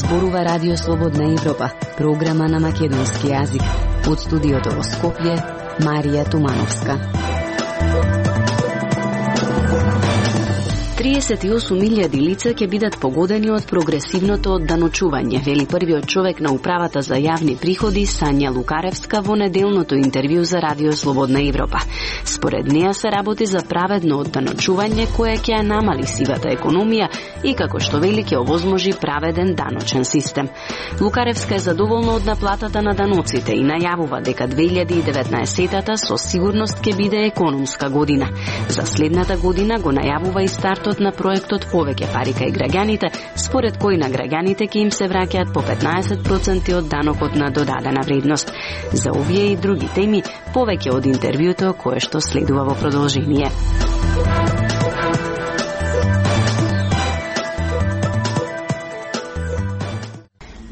зборува Радио Слободна Европа, програма на македонски јазик. Од студиото во Скопје, Марија Тумановска. 38.000 лица ќе бидат погодени од прогресивното одданочување, вели првиот човек на управата за јавни приходи Сања Лукаревска во неделното интервју за Радио Слободна Европа. Според неа се работи за праведно одданочување кое ќе ја намали сивата економија и како што вели ќе овозможи праведен даночен систем. Лукаревска е задоволна од наплатата на даноците и најавува дека 2019-та со сигурност ќе биде економска година. За следната година го најавува и стартот на проектот Повеќе пари кај граѓаните, според кој на граѓаните ќе им се враќаат по 15% од данокот на додадена вредност. За овие и други теми, повеќе од интервјуто кое што следува во продолжение.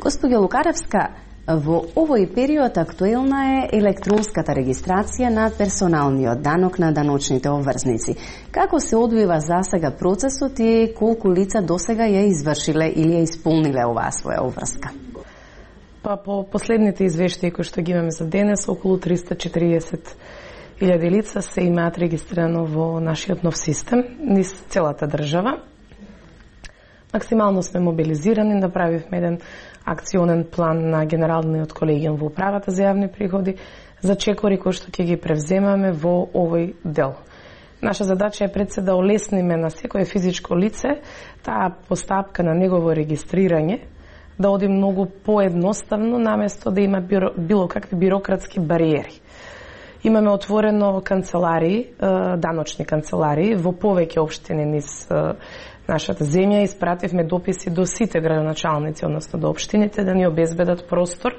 Господја Лукаревска, во овој период актуелна е електронската регистрација на персоналниот данок на даночните обврзници. Како се одвива засега процесот и колку лица досега ја извршиле или ја исполниле оваа своја обврска? По последните извештаи кои што ги имаме за денес, околу 340.000 лица се имаат регистрирано во нашиот нов систем, низ целата држава. Максимално сме мобилизирани, направивме еден акционен план на Генералниот колегиум во управата за јавни приходи за чекори кои што ќе ги превземаме во овој дел. Наша задача е пред се да олесниме на секое физичко лице таа постапка на негово регистрирање, да оди многу поедноставно наместо да има било какви бирократски бариери. Имаме отворено канцеларии, даночни канцеларии во повеќе општини низ нашата земја. Испративме дописи до сите градоначалници, односно до општините, да ни обезбедат простор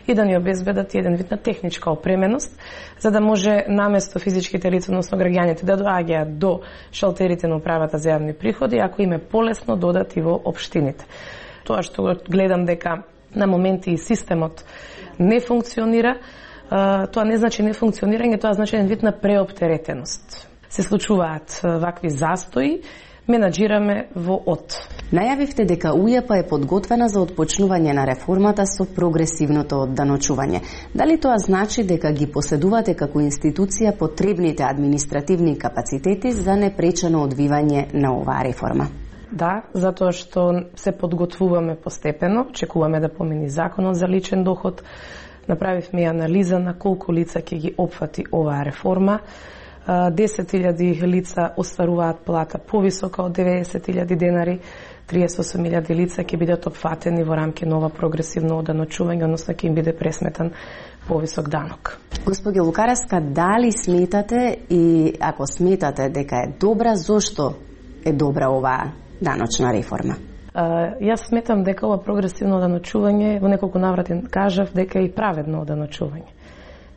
и да ни обезбедат еден вид на техничка опременост, за да може наместо физичките лица, односно граѓаните, да доаѓаат до шалтерите на управата за јавни приходи, ако им е полесно додат и во општините. Тоа што гледам дека на моменти и системот не функционира, тоа не значи не функционирање, тоа значи еден вид на преоптеретеност. Се случуваат вакви застои, менаџираме во ОД. Најавивте дека УЈП е подготвена за отпочнување на реформата со прогресивното одданочување. Дали тоа значи дека ги поседувате како институција потребните административни капацитети за непречено одвивање на оваа реформа? Да, затоа што се подготвуваме постепено, чекуваме да помени законот за личен доход, направивме анализа на колку лица ќе ги опфати оваа реформа. 10.000 лица остваруваат плата повисока од 90.000 денари, 38.000 лица ќе бидат опфатени во рамки нова прогресивно одданочување, односно ќе им биде пресметан повисок данок. Господи Лукаревска, дали сметате и ако сметате дека е добра, зошто е добра оваа даночна реформа? Јас сметам дека ова прогресивно одданочување, во неколку наврати кажав дека е и праведно одданочување.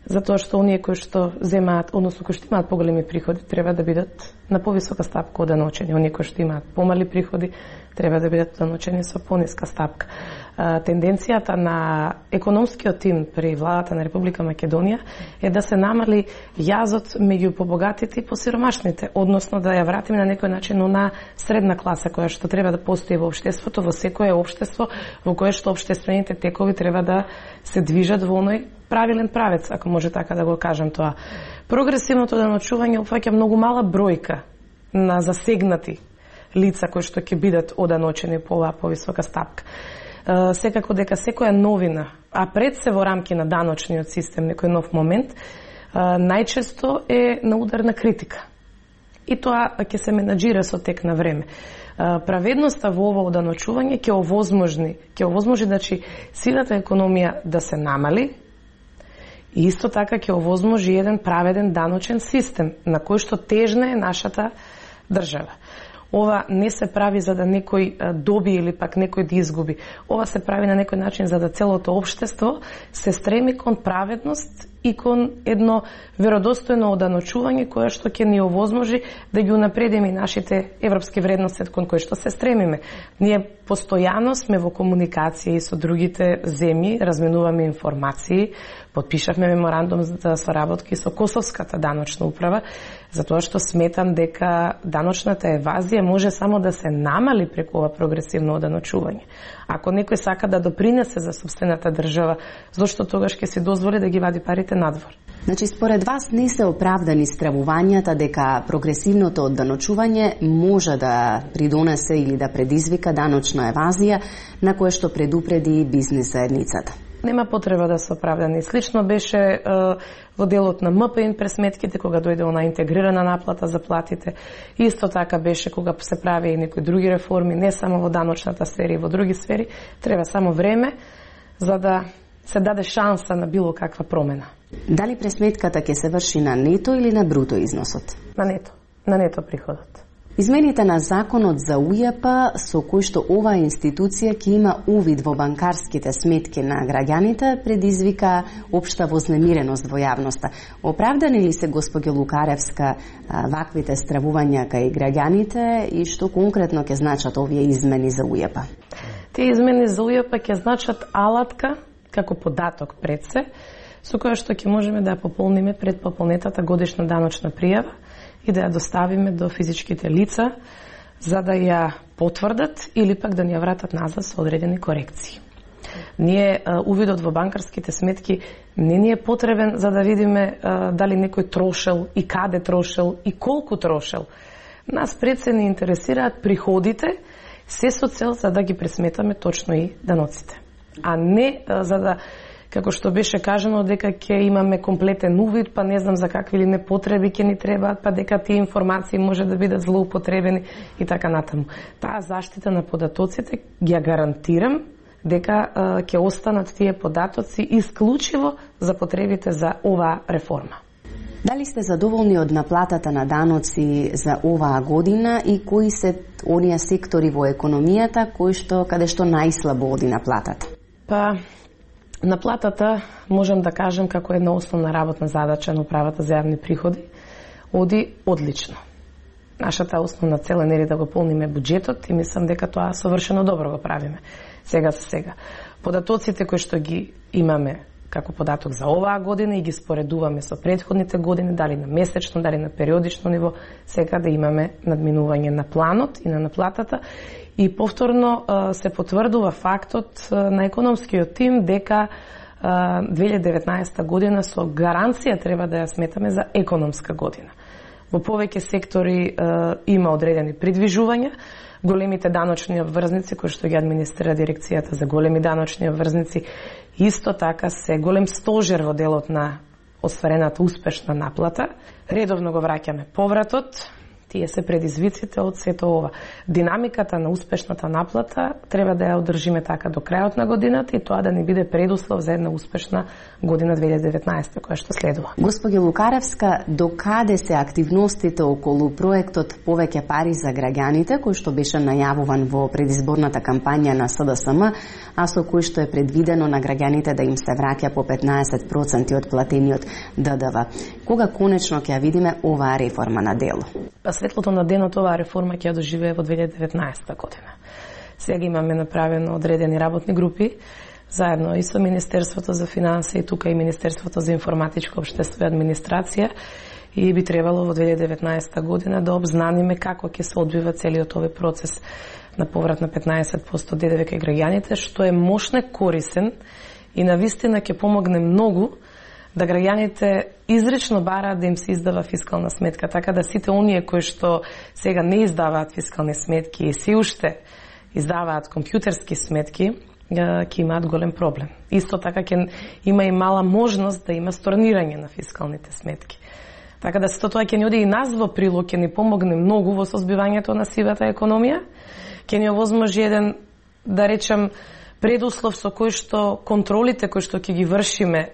Затоа што оние кои што земаат, односно кои што имаат поголеми приходи, треба да бидат на повисока стапка одданочени. Оние кои што имаат помали приходи, треба да бидат одданочени со пониска стапка. Тенденцијата на економскиот тим при владата на Република Македонија е да се намали јазот меѓу побогатите и посиромашните, односно да ја вратиме на некој начин на средна класа која што треба да постои во општеството, во секое општество во кое што општествените текови треба да се движат во оној правилен правец, ако може така да го кажам тоа. Прогресивното одданочување опфаќа многу мала бројка на засегнати лица кои што ќе бидат одданочени по оваа повисока стапка. Секако дека секоја новина, а пред се во рамки на даночниот систем, некој нов момент, најчесто е на удар на критика. И тоа ќе се менаџира со тек на време. Праведноста во ова одданочување ќе овозможи значи сивата економија да се намали, и исто така ќе овозможи еден праведен даночен систем на кој што тежна е нашата држава. Ова не се прави за да некој доби или пак некој да изгуби. Ова се прави на некој начин за да целото општество се стреми кон праведност и кон едно веродостојно одданочување кое што ќе ни овозможи да ги унапредиме нашите европски вредности кон кои што се стремиме. Ние постојано сме во комуникација и со другите земји, разменуваме информации, подпишавме меморандум за соработки со Косовската даночна управа, затоа што сметам дека даночната евазија може само да се намали преку ова прогресивно оданочување. Ако некој сака да допринесе за сопствената држава, зошто тогаш ќе се дозволи да ги вади парите надвор? Значи, според вас не се оправдани стравувањата дека прогресивното одданочување може да придонесе или да предизвика даночна евазија на кое што предупреди бизнес заедницата? Нема потреба да се оправдани. Слично беше во делот на МПИН пресметките, кога дојде она интегрирана наплата за платите. Исто така беше кога се прави и некои други реформи, не само во даночната сфера и во други сфери. Треба само време за да се даде шанса на било каква промена. Дали пресметката ќе се врши на нето или на бруто износот? На нето приходот. Измените на законот за УЈП со кој што оваа институција ќе има увид во банкарските сметки на граѓаните предизвика општа вознемиреност во јавноста. Оправдани ли се, госпоѓо Лукаревска, ваквите стравувања кај граѓаните и што конкретно ќе значат овие измени за УЈП? Тие измени за УЈП ќе значат алатка како податок пред се, со која што ќе можеме да ја пополниме пред пополнетата годишна даночна пријава и да ја доставиме до физичките лица за да ја потврдат или пак да ни ја вратат назад со одредени корекции. Ние увидот во банкарските сметки не ни е потребен за да видиме дали некој трошел и каде трошел и колку трошел. Нас пред се не интересираат приходите, се со цел за да ги пресметаме точно и даноците. А не за да, како што беше кажано, дека ќе имаме комплетен увид, па не знам за какви ли непотреби ќе ни требаат, па дека тие информации може да бидат злоупотребени и така натаму. Таа заштита на податоците ја гарантирам дека ќе останат тие податоци исклучиво за потребите за оваа реформа. Дали сте задоволни од наплатата на даноци за оваа година и кои се оние сектори во економијата каде што најслабо оди наплатата? Па наплатата, можам да кажем, како една основна работна задача на управата за јавни приходи, оди одлично. Нашата основна цел е нели да го полниме буџетот и мислам дека тоа совршено добро го правиме. Сега за сега. Податоците кои што ги имаме како податок за оваа година и ги споредуваме со претходните години, дали на месечно, дали на периодично ниво, сега да имаме надминување на планот и на наплатата. И повторно се потврдува фактот на економскиот тим дека 2019 година со гаранција треба да ја сметаме за економска година. Во повеќе сектори има одредени придвижувања. Големите даночни обврзници кои што ги администрира дирекцијата за големи даночни обврзници исто така се голем стожер во делот на остварената успешна наплата. Редовно го враќаме повратот. Тие се предизвиците од сето ова. Динамиката на успешната наплата треба да ја одржиме така до крајот на годината и тоа да ни биде предуслов за една успешна година 2019 која што следува. Господи Лукаревска, до каде се активностите околу проектот Повеќе пари за граѓаните, кој што беше најавуван во предизборната кампања на СДСМ, а со кој што е предвидено на граѓаните да им се враќа по 15% од платениот ДДВ? Кога конечно ќе ја видиме оваа реформа на дело? Светлото на денот оваа реформа ќе ја доживее во 2019 година. Сега имаме направено одредени работни групи, заедно и со Министерството за финансии, и тука и Министерството за информатичко општество и администрација, и би требало во 2019 година да обзнаниме како ќе се одвива целиот овој процес на поврат на 15% ДДВ кај граѓаните, што е мощно корисен и навистина ќе помогне многу да граѓаните изрично бараат да им се издава фискална сметка, така да сите оние кои што сега не издаваат фискални сметки и се уште издаваат компјутерски сметки, ќе имаат голем проблем. Исто така ќе има и мала можност да има сторнирање на фискалните сметки. Така да сето тоа ќе ни оди и нас во прилог, ќе ни помогне многу во созбивањето на сивата економија, ќе ни овозможи еден, да речем, предуслов со кој што контролите кои што ќе ги вршиме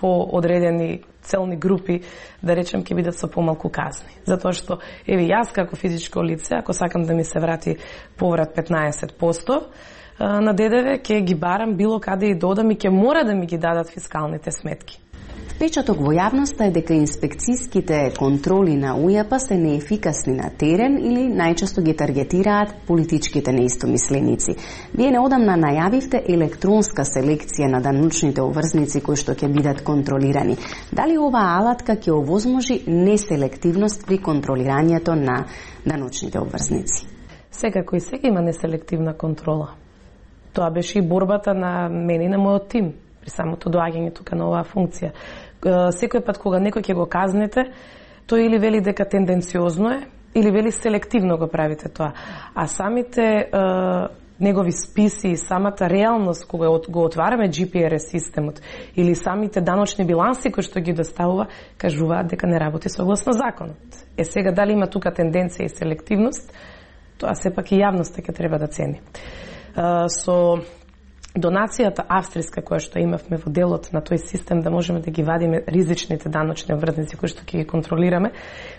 по одредени целни групи, да речем, ќе бидат со помалку казни. Затоа што, еве, јас како физичко лице, ако сакам да ми се врати поврат 15% на ДДВ, ќе ги барам било каде и додам и ќе мора да ми ги дадат фискалните сметки. Впечаток во јавноста е дека инспекцијските контроли на УЈП се неефикасни на терен или најчесто ги таргетираат политичките неистомисленици. Вие неодамна најавивте електронска селекција на даночните обврзници кои што ќе бидат контролирани. Дали оваа алатка ќе овозможи неселективност при контролирањето на даночните обврзници? Секако и сега има неселективна контрола. Тоа беше и борбата на мене и на мојот тим при самото доаѓање тука на оваа функција. Секој пат кога некој ќе го казнете, тој или вели дека тенденциозно е, или вели селективно го правите тоа. А самите негови списи и самата реалност кога го отвараме GPRS системот или самите даночни биланси кои што ги доставува, кажуваат дека не работи согласно законот. Сега дали има тука тенденција и селективност, тоа сепак и јавноста ќе треба да цени. Со донацијата австријска која што имавме во делот на тој систем да можеме да ги вадиме ризичните даночни обврзници кои што ќе ги контролираме,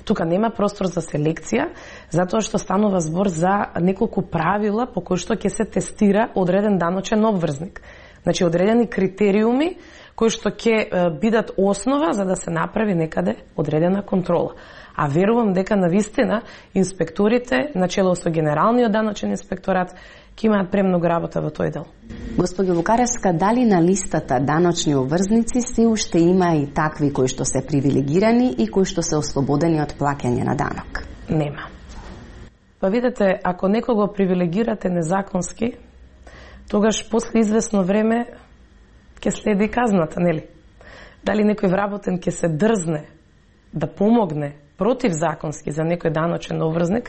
тука нема простор за селекција, затоа што станува збор за неколку правила по кои што ќе се тестира одреден даночен обврзник. Значи одредени критериуми кои што ќе бидат основа за да се направи некаде одредена контрола. А верувам дека навистина инспекторите, начело со Генералниот даночен инспекторат, ќе имаат премногу работа во тој дел. Госпоѓо Лукаревска, дали на листата даночни обврзници се уште има и такви кои што се привилегирани и кои што се ослободени од плаќање на данок? Нема. Па видете, ако некого привилегирате незаконски, тогаш после известно време ќе следи казната, нели? Дали некој вработен ќе се дрзне да помогне противзаконски за некој даночен обврзник,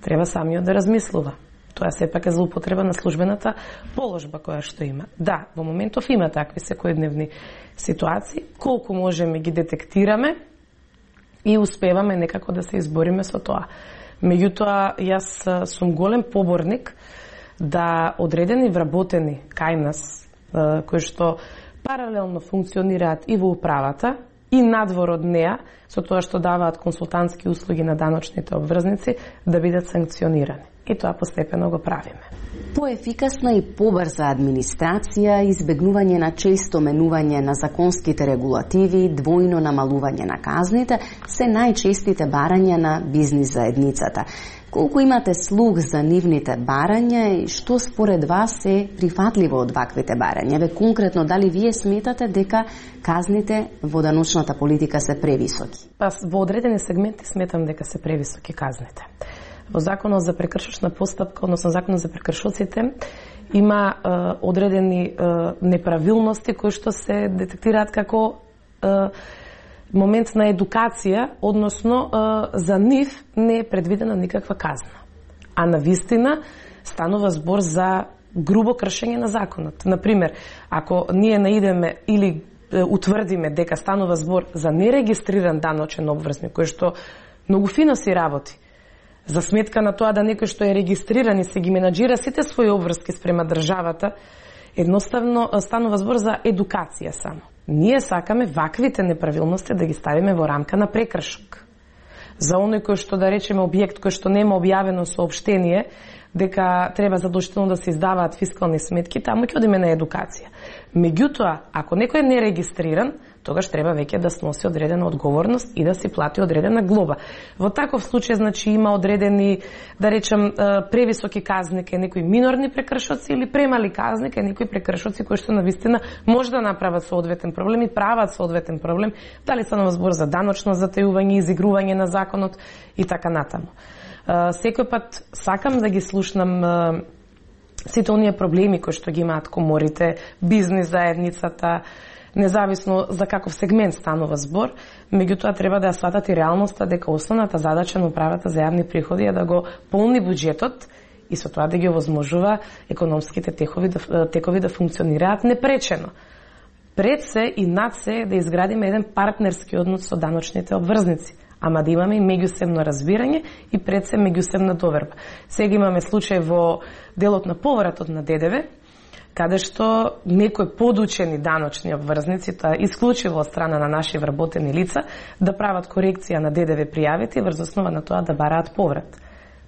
треба самиот да размислува. Тоа сепак е злоупотреба на службената положба која што има. Да, во моментов има такви секојдневни ситуации, колку можеме ги детектираме и успеваме некако да се избориме со тоа. Меѓутоа, јас сум голем поборник да одредени вработени кај нас, кои што паралелно функционираат и во управата, и надвор од неа, со тоа што даваат консултантски услуги на даночните обврзници, да бидат санкционирани. И тоа постепено го правиме. Поефикасна и побрза администрација, избегнување на често менување на законските регулативи, двојно намалување на казните, се најчестите барања на бизнис заедницата. Колку имате слух за нивните барања и што според вас е прифатливо од ваквите барања? Ве конкретно, дали вие сметате дека казните во даночната политика се превисоки? Па во одредени сегменти сметам дека се превисоки казните. Во Законот за прекршочна постапка, односно Законот за прекршоците, има одредени неправилности кои што се детектираат како момент на едукација, односно за нив не е предвидена никаква казна. А навистина станува збор за грубо кршење на законот. Например, ако ние наидеме или утврдиме дека станува збор за нерегистриран даночен обврзник, кој што многу фино си работи, за сметка на тоа да некој што е регистриран и се ги менаџира сите своји обврски спрема државата, едноставно станува збор за едукација само. Ние сакаме ваквите неправилности да ги ставиме во рамка на прекршок. За оној кој што, да речеме, објект кој што нема објавено соопштение дека треба задолжително да се издаваат фискални сметки, таму ќе одиме на едукација. Меѓутоа, ако некој е нерегистриран, тогаш треба веќе да сноси одредена одговорност и да си плати одредена глоба. Во таков случај, значи, има одредени, да речем, превисоки казни кај некои минорни прекршоци или премали казни кај некои прекршоци кои што навистина може да направат соодветен проблем и прават соодветен проблем, дали станува збор за даночно затајување, изигрување на законот и така натаму. Секој пат сакам да ги слушнам сите оние проблеми кои што ги имаат коморите, бизнис заедницата, независно за каков сегмент станува збор, меѓутоа треба да ја сватат и реалноста дека основната задача на управата за јавни приходи е да го полни буџетот и со тоа да ги овозможува економските текови да функционираат непречено. Пред се и над се да изградиме еден партнерски однос со даночните обврзници, ама да имаме и меѓусебно разбирање и пред се меѓусебна доверба. Сега имаме случај во делот на повратот на ДДВ, каде што некои подучени даночни обврзници, тоа исклучиво од страна на наши вработени лица, да прават корекција на ДДВ пријавите и врз основа на тоа да бараат поврат.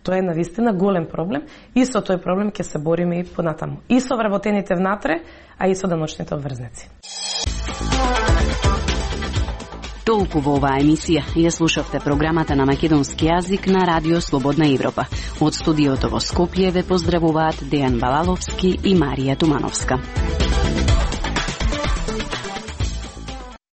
Тоа е навистина голем проблем и со тој проблем ќе се бориме и понатаму. И со вработените внатре, а и со даночните обврзници. Толку во оваа емисија. Ја слушавте програмата на македонски јазик на Радио Слободна Европа. Од студиото во Скопје ве поздравуваат Дејан Балаловски и Марија Тумановска.